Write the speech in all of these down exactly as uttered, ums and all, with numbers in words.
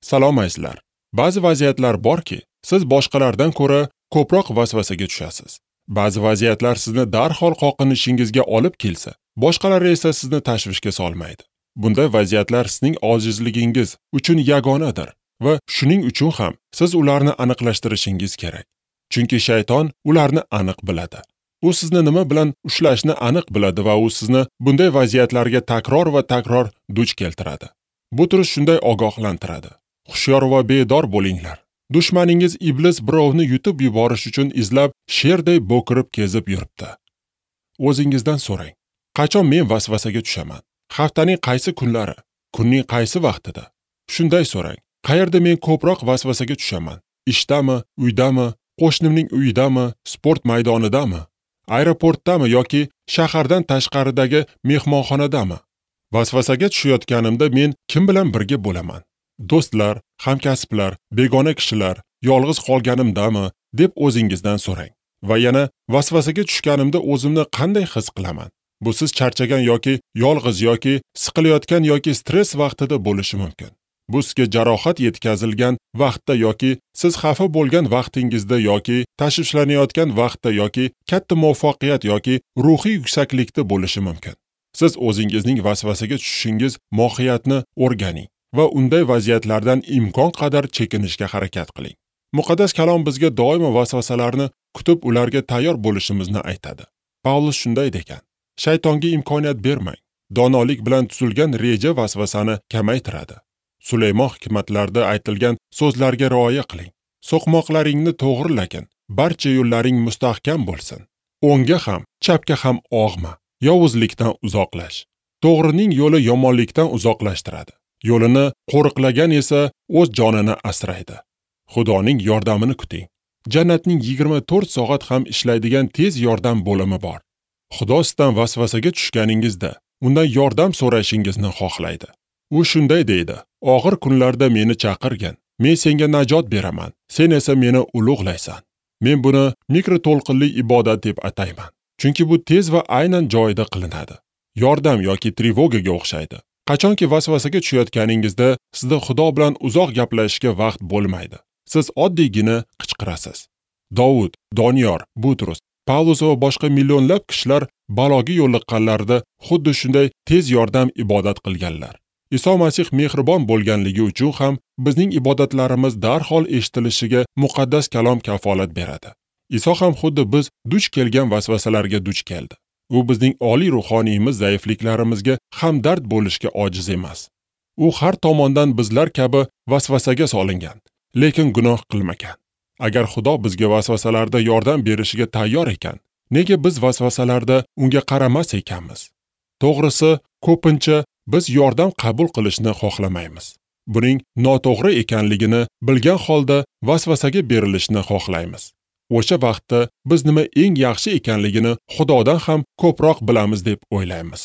Salom azizlar. Ba'zi vaziyatlar borki, siz boshqalardan ko'ra ko'proq vasvasaga tushasiz. Ba'zi vaziyatlar sizni darhol qoqinishingizga olib kelsa, boshqalari esa sizni tashvishga solmaydi. Bunday vaziyatlar sizning ojizligingiz uchun yagonadir va shuning uchun ham siz ularni aniqlashtirishingiz kerak. Chunki shayton ularni aniq biladi. U sizni nima bilan ushlashni aniq biladi va u sizni bunday vaziyatlarga takror va takror duch keltiradi. Butrus shunday ogohlantiradi. Hushyor va bedor bo'linglar. Dushmaningiz iblis birovni yutib yuborish uchun izlab sherday bo'kirib kezib yuribdi. O'zingizdan so'rang. Qachon men vasvasaga tushaman? Haftaning qaysi kunlari? Kunning qaysi vaqtida? Shunday so'rang. Qayerda men ko'proq vasvasaga tushaman? Ishdami, uydami, qo'shnimning uyidami, sport maydonidami, aeroportdami yoki shahardan tashqaridagi mehmonxonadami? Vasvasaga tushayotganimda men kim bilan birga bo'laman? Do'stlar, hamkasblar, begona kishilar, yolg'iz qolganimdami deb o'zingizdan so'rang. Va yana vasvasaga tushganimda o'zimni qanday his qilaman? Bu siz charchagan yoki yolg'iz yoki siqilayotgan yoki stress vaqtida bo'lishi mumkin. Bu sizga jarohat yetkazilgan vaqtda yoki siz xafa bo'lgan vaqtingizda yoki tashvishlanayotgan vaqtda yoki katta muvaffaqiyat yoki ruhiy yuksaklikda bo'lishi mumkin. Siz o'zingizning vasvasaga tushishingiz mohiyatini o'rganing va unday vaziyatlardan imkon qadar chekinishga harakat qiling. Muqaddas kalom bizga doimo vasvasalarni kutib ularga tayyor bo'lishimizni aytadi. Pavlus shunday degan: Shaytonga imkoniyat bermang. Donolik bilan tuzilgan reja vasvasani kamaytiradi. Sulaymon hikmatlarda aytilgan so'zlarga rioya qiling. So'qmoqlaringni to'g'rilagin, barcha yo'llaring mustahkam bo'lsin. O'ngga ham, chapga ham og'ma, yovuzlikdan uzoqlash. To'g'rining yo'li yomonlikdan uzoqlashtiradi. Yo'lini qo'riqlagan esa o'z jonini asraydi. Xudoning yordamini kuting. Jannatning yigirma to'rt soat ham ishlaydigan tez yordam bo'limi bor. Xudo sizdan vasvasaga tushganingizda undan yordam so'rashingizni xohlaydi. U shunday deydi: Og'ir kunlarda meni chaqirgin, men senga najot beraman, sen esa meni ulug'laysan. Men buni mikroto'lqinli ibodat deb atayman. Chunki bu tez va aynan joyida qilinadi. Yordam yoki trevogaga o'xshaydi. Qachonki vasvasaga tushayotganingizda sizda Xudo bilan uzoq gaplashishga vaqt bo'lmaydi. Siz oddiygina qichqirasiz. Dovud, Doniyor, Butrus, Pavlus va boshqa millionlab kishilar baloga yo'liqqanlarida xuddi shunday tez yordam ibodat qilganlar. Iso Masih mehribon bo'lganligi uchun ham bizning ibodatlarimiz darhol eshitilishiga muqaddas kalom kafolat beradi. Iso ham xuddi biz duch kelgan vasvasalarga duch keldi. U bizning oliy ruhoniyimiz zaifliklarimizga hamdard bo'lishga ojiz emas. U har tomondan bizlar kabi vasvasaga solingan, lekin gunoh qilmagan. Agar Xudo bizga vasvasalarda yordam berishiga tayyor ekan, nega biz vasvasalarda unga qaramas ekanmiz? To'g'risi, ko'pincha biz yordam qabul qilishni xohlamaymiz. Buning noto'g'ri ekanligini bilgan holda vasvasaga berilishni xohlaymiz. O'sha vaqtda biz nima eng yaxshi ekanligini Xudodan ham ko'proq bilamiz deb o'ylaymiz.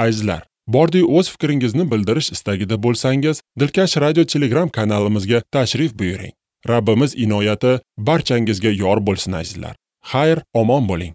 Azizlar, bordi o'z fikringizni bildirish istagida bo'lsangiz, Dilkash Radio Telegram kanalimizga tashrif buyuring. Rabbimiz inoyati barchangizga yor bo'lsin azizlar. Xayr, omon bo'ling.